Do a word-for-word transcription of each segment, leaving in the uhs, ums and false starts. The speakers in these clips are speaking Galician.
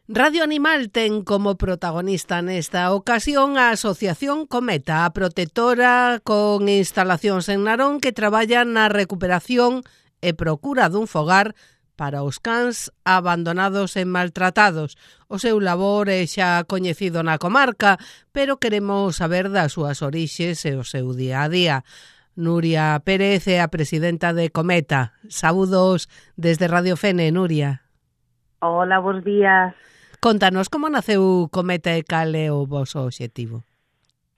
Radio Animal ten como protagonista nesta ocasión a Asociación Cometa, a protectora con instalacións en Narón que traballa na recuperación e procura dun fogar para os cans abandonados e maltratados. O seu labor é xa coñecido na comarca, pero queremos saber das súas orixes e o seu día a día. Nuria Pérez é a presidenta de Cometa. Saúdos desde Radio Fene, Nuria. Hola, bons días. Contanos como naceu Cometa e cal é o voso obxectivo.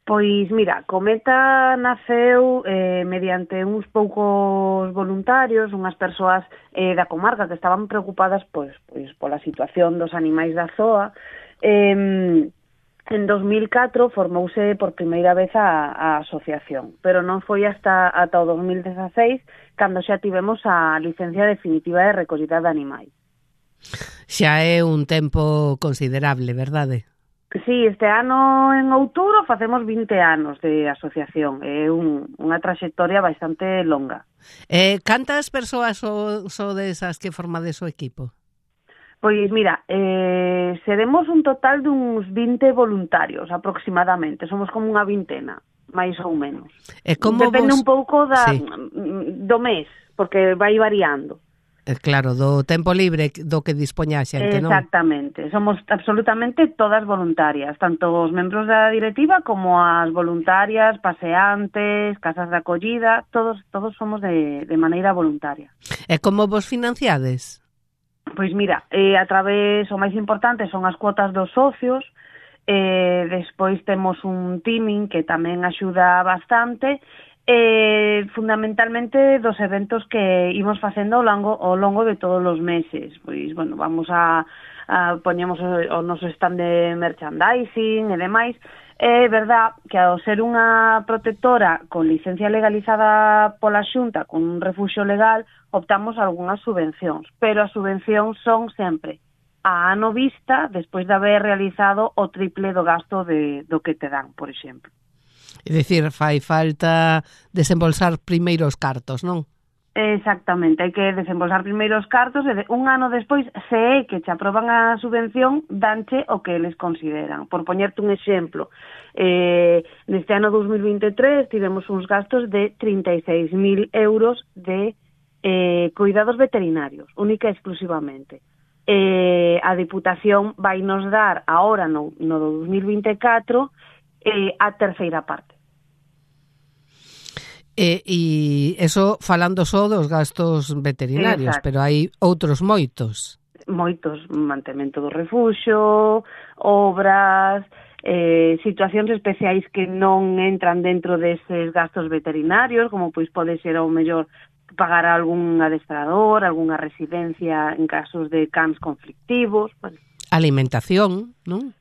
Pois mira, Cometa naceu eh, mediante uns poucos voluntarios, unhas persoas eh, da comarca que estaban preocupadas pois, pois pola situación dos animais da zoa. Eh, en dos mil catro formouse por primeira vez a, a asociación, pero non foi hasta, ata o dos mil dezaseis cando xa tivemos a licencia definitiva de recollida de animais. Xa é un tempo considerable, verdade? Sí, este ano en outubro facemos vinte anos de asociación. É un, unha traxectoria bastante longa. Eh, cantas persoas so, so desas que formades o equipo? Pois mira, eh, seremos un total duns vinte voluntarios aproximadamente. Somos como unha vintena, máis ou menos. E como Depende vos... un pouco da, sí. do mes, porque vai variando. Claro, do tempo libre do que dispoña a xente, non? Exactamente, somos absolutamente todas voluntarias, tanto os membros da directiva como as voluntarias, paseantes, casas de acollida, todos todos somos de, de maneira voluntaria. E como vos financiades? Pois mira, eh, a través, o máis importante son as cuotas dos socios, eh, despois temos un teaming que tamén axuda bastante, Eh, fundamentalmente dos eventos que imos facendo ao longo, ao longo de todos os meses. Pois, bueno, vamos a, a poñemos o, o noso stand de merchandising e demais. É verdad que ao ser unha protectora con licencia legalizada pola Xunta, con un refuxio legal, optamos a algunhas subvencións, pero as subvencións son sempre a ano vista, despois de haber realizado o triple do gasto de, do que te dan, por exemplo. É dicir, fai falta desembolsar primeiros cartos, non? Exactamente, hai que desembolsar primeiros cartos e de, un ano despois, se é que te aproban a subvención, danche o que eles consideran. Por poñerte un exemplo, eh, neste ano dos mil vinte e tres tivemos uns gastos de trinta e seis mil euros de eh, cuidados veterinarios, única e exclusivamente. Eh, a Diputación vai nos dar, ahora no, no dos mil vinte e catro, Eh, a terceira parte. E, e eso falando só dos gastos veterinarios, exacto, pero hai outros moitos. Moitos, mantemento do refuxio, obras, eh, situacións especiais que non entran dentro deses gastos veterinarios, como pois pode ser ao mellor pagar a algún adestrador, algunha residencia en casos de cans conflictivos. Bueno. Alimentación, non?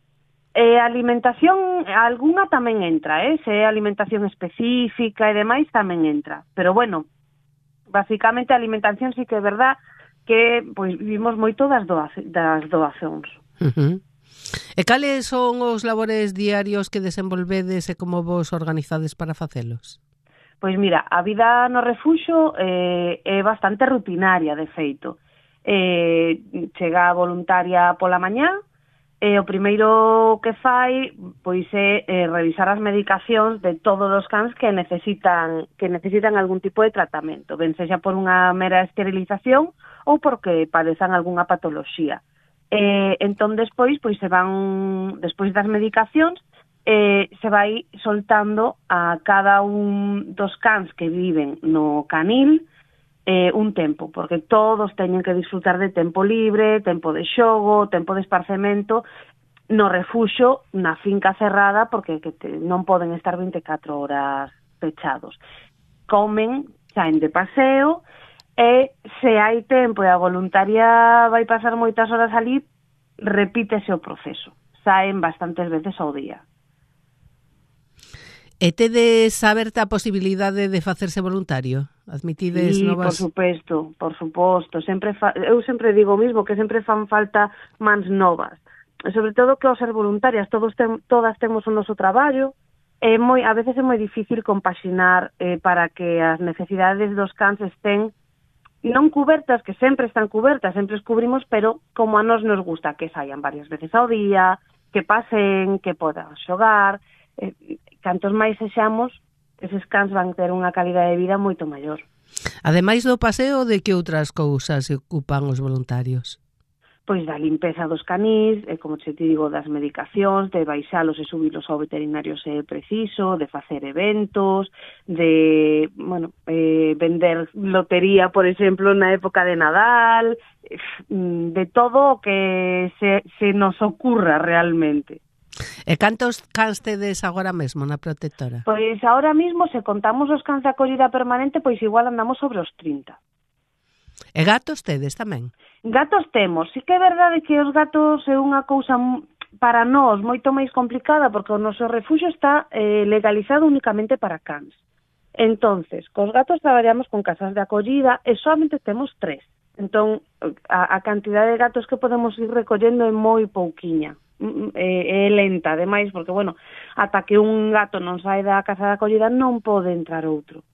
Eh, alimentación, algunha tamén entra, eh? Se é alimentación específica e demais tamén entra. Pero bueno, basicamente a alimentación sí que é verdad que pois vivimos moito das, doa, das doazóns. Uh-huh. E cales son os labores diarios que desenvolvedes e como vos organizades para facelos? Pois mira, a vida no refuxo eh, é bastante rutinaria, de feito. Eh, chega a voluntaria pola mañá, E o primeiro que fai pois é eh, revisar as medicacións de todos os cans que necesitan que necesitan algún tipo de tratamento, ben sexa por unha mera esterilización ou porque padezan algunha patoloxía. Eh, entón despois pois se van despois das medicacións eh, se vai soltando a cada un dos cans que viven no canil Eh, un tempo, porque todos teñen que disfrutar de tempo libre, tempo de xogo, tempo de esparcemento no refuxo, na finca cerrada, porque que te, non poden estar vinte e catro horas pechados. Comen, saen de paseo, e se hai tempo e a voluntaria vai pasar moitas horas ali, repítese o proceso. Saen bastantes veces ao día. E tedes aberta a posibilidade de facerse voluntario? Admitides sí, novas... por suposto, por suposto. Sempre fa... Eu sempre digo o mismo, que sempre fan falta mans novas. E sobre todo que ao ser voluntarias todos tem... todas temos o noso traballo. É moi... A veces é moi difícil compaxinar eh, para que as necesidades dos cans estén non cubertas, que sempre están cubertas, sempre as cubrimos, pero como a nos nos gusta que saian varias veces ao día, que pasen, que podan xogar, eh, cantos máis sexamos, eses cans van ter unha calidade de vida moito maior. Ademais do paseo, de que outras cousas se ocupan os voluntarios? Pois da limpeza dos canís, eh, como te digo, das medicacións, de baixalos e subilos ao veterinario se é preciso, de facer eventos, de, bueno, eh, vender lotería, por exemplo, na época de Nadal, de todo o que se, se nos ocurra realmente. E cantos cans tedes agora mesmo na protectora? Pois agora mesmo, se contamos os cans de acollida permanente, pois igual andamos sobre os trinta. E gatos tedes tamén? Gatos temos. Sí que é verdade que os gatos é unha cousa para nós moito máis complicada porque o noso refuxio está eh, legalizado únicamente para cans. Entonces, cos gatos traballamos con casas de acollida e solamente temos tres. Entón, a, a cantidade de gatos que podemos ir recollendo é moi pouquiña. É, é lenta, ademais, porque, bueno, ata que un gato non sai da casa de acollida non pode entrar outro.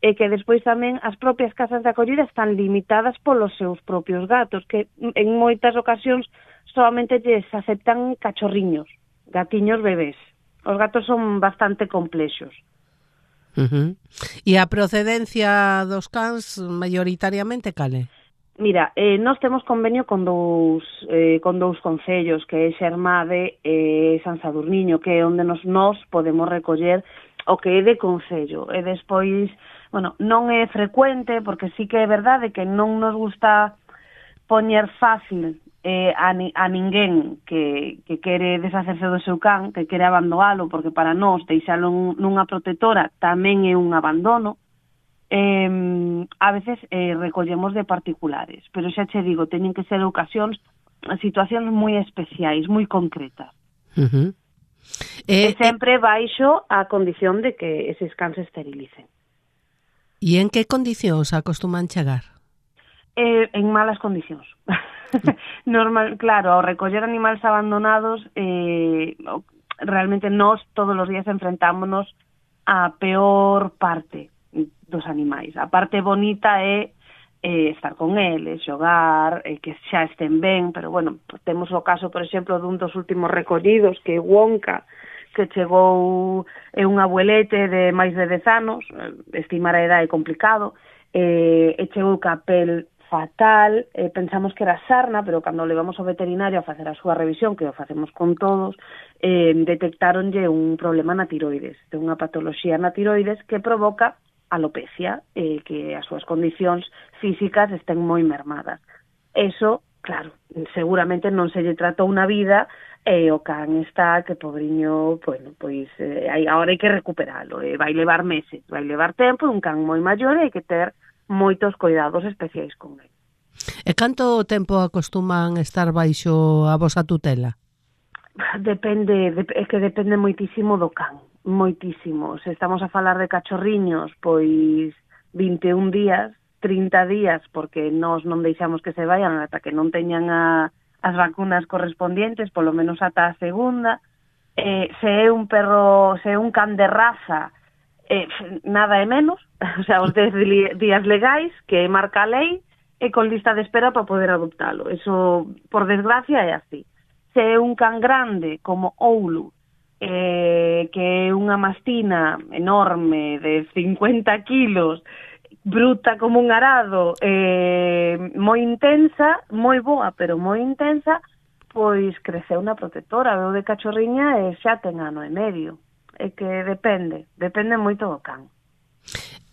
E que despois tamén as propias casas de acollida están limitadas polos seus propios gatos, que en moitas ocasións solamente lles aceptan cachorriños, gatiños bebés. Os gatos son bastante complexos. Uh-huh. E a procedencia dos cans maioritariamente cale? Mira, eh, nós temos convenio con dous, eh, con dous concellos, que é Xermade e San Sadurniño, que é onde nos, nos podemos recoller o que é de concello. E despois, bueno, non é frecuente, porque sí que é verdade que non nos gusta poñer fácil eh, a, ni, a ninguén que, que quere deshacerse do seu can, que quere abandonalo, porque para nós deixalo nunha protectora tamén é un abandono. Eh, a veces eh, recollemos de particulares, pero xa che digo, teñen que ser ocasións, situacións moi especiais, moi concretas. Uh-huh. E, e sempre baixo a condición de que eses cans se esterilicen. E en que condicións acostuman chegar? Eh, en malas condicións. Normal, claro, ao recoller animales abandonados, eh, realmente nós todos os días enfrentámonos á peor parte dos animais. A parte bonita é eh, estar con eles, xogar, eh, que xa estén ben, pero bueno, temos o caso, por exemplo, dun dos últimos recollidos, que é Wonka, que chegou é un abuelete de máis de dez anos, estimar a edad é complicado, eh, e chegou ca pel fatal, eh, pensamos que era sarna, pero cando levamos ao veterinario a facer a súa revisión, que o facemos con todos, eh, detectaronlle un problema na tiroides, de unha patoloxía na tiroides que provoca alopecia, eh, que as súas condicións físicas estén moi mermadas. Eso, claro, seguramente non se lle tratou unha vida e o can está que, pobriño, bueno, pois eh, agora hai que recuperalo, eh, vai levar meses, vai levar tempo, un can moi maior e hai que ter moitos cuidados especiais con ele. E canto tempo acostuman estar baixo a vosa tutela? Depende, de, é que depende moitísimo do can, moitísimo. Se estamos a falar de cachorriños, pois vinte e un días, trinta días, porque nós non deixamos que se vayan ata que non teñan a, as vacunas correspondientes, polo menos ata a segunda. Eh, se é un perro, se é un can de raza, eh, nada é menos, o sea, os dez días legais que marca a lei e con lista de espera para poder adoptalo. Eso, por desgracia, é así. Se é un can grande como Oulu, eh, que é unha mastina enorme de cincuenta kilos, bruta como un arado, eh, moi intensa, moi boa, pero moi intensa, pois creceu na protectora, veo de cachorriña e xa ten ano e medio. É que depende, depende moito do can.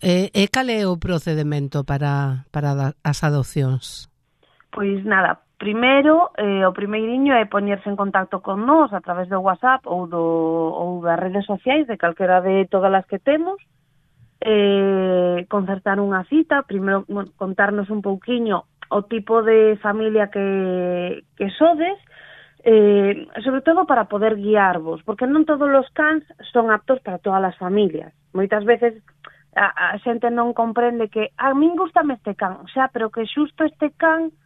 E, e cal é o procedimento para, para as adopcións? Pois nada, primeiro, eh, o primeiriño é poñerse en contacto con nós a través do WhatsApp ou, do, ou das redes sociais, de calquera de todas as que temos, eh, concertar unha cita, primeiro bueno, contarnos un pouquiño o tipo de familia que, que sodes, eh, sobre todo para poder guiarvos, porque non todos os cans son aptos para todas as familias. Moitas veces a, a xente non comprende que a min gustame este can, xa, pero que xusto este can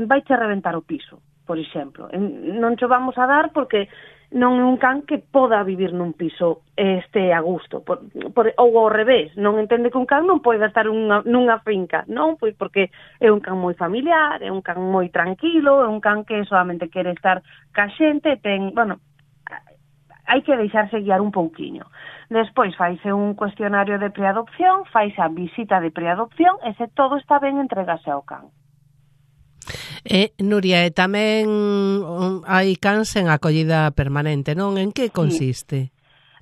vai che reventar o piso, por exemplo. Non cho vamos a dar porque non é un can que poda vivir nun piso e este a gusto, por, por, ou ao revés, non entende que un can non pode estar unha, nunha finca, non? Pois porque é un can moi familiar, é un can moi tranquilo, é un can que solamente quere estar ca xente, ten, bueno, hai que deixarse guiar un pouquiño. Despois faise un cuestionario de preadopción, faise a visita de preadopción e se todo está ben entregase ao can. E, Nuria, e tamén hai cans en acollida permanente, non? En que consiste? Sí.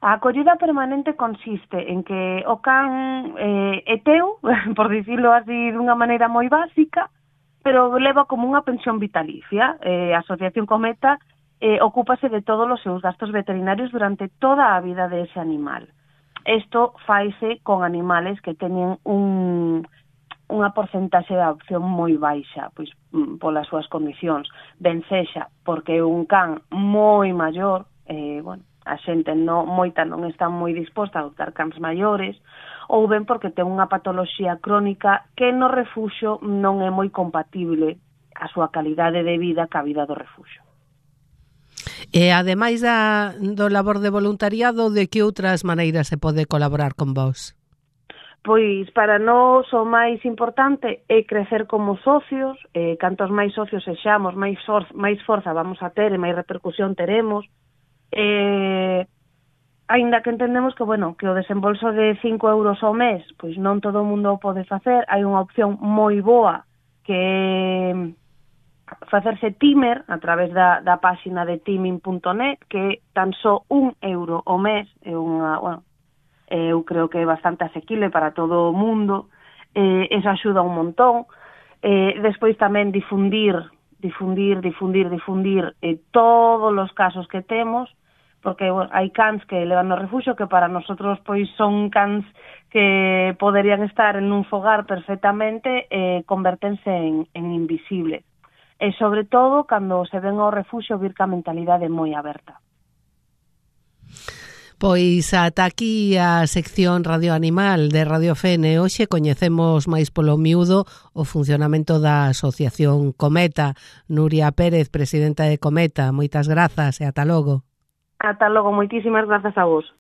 A acollida permanente consiste en que o can eh, é teu, por dicirlo así dunha maneira moi básica, pero leva como unha pensión vitalicia. Eh, a Asociación Cometa eh, ocúpase de todos os seus gastos veterinarios durante toda a vida de ese animal. Isto faise con animales que teñen un... unha porcentaxe de adopción moi baixa, pois polas súas condicións, ben sexa porque é un can moi maior, eh, bueno, a xente no, moita non está moi disposta a adoptar cans maiores, ou ben porque ten unha patoloxía crónica que no refuxo non é moi compatible a súa calidade de vida ca vida do refuxo. E ademais da, do labor de voluntariado, de que outras maneiras se pode colaborar con vos? Pois para nós o máis importante é crecer como socios, eh, cantos máis socios sexamos, máis, for máis forza vamos a ter e máis repercusión teremos. Eh, aínda que entendemos que, bueno, que o desembolso de cinco euros ao mes, pois non todo o mundo o pode facer, hai unha opción moi boa que é facerse timer a través da, da páxina de timing punto net, que tan só un euro ao mes é unha, bueno, eu creo que é bastante asequible para todo o mundo, eh, eso axuda un montón. Eh, despois tamén difundir, difundir, difundir, difundir eh, todos os casos que temos, porque bueno, hai cans que levan no refuxo que para nosotros pois son cans que poderían estar en un fogar perfectamente e eh, convertense en, en invisibles. E sobre todo cando se ven ao refuxo vir ca mentalidade moi aberta. Pois ata aquí a sección Radio Animal de Radio Fene. Hoxe coñecemos máis polo miúdo o funcionamento da Asociación Cometa. Nuria Pérez, presidenta de Cometa, moitas grazas e ata logo. Ata logo, moitísimas grazas a vos.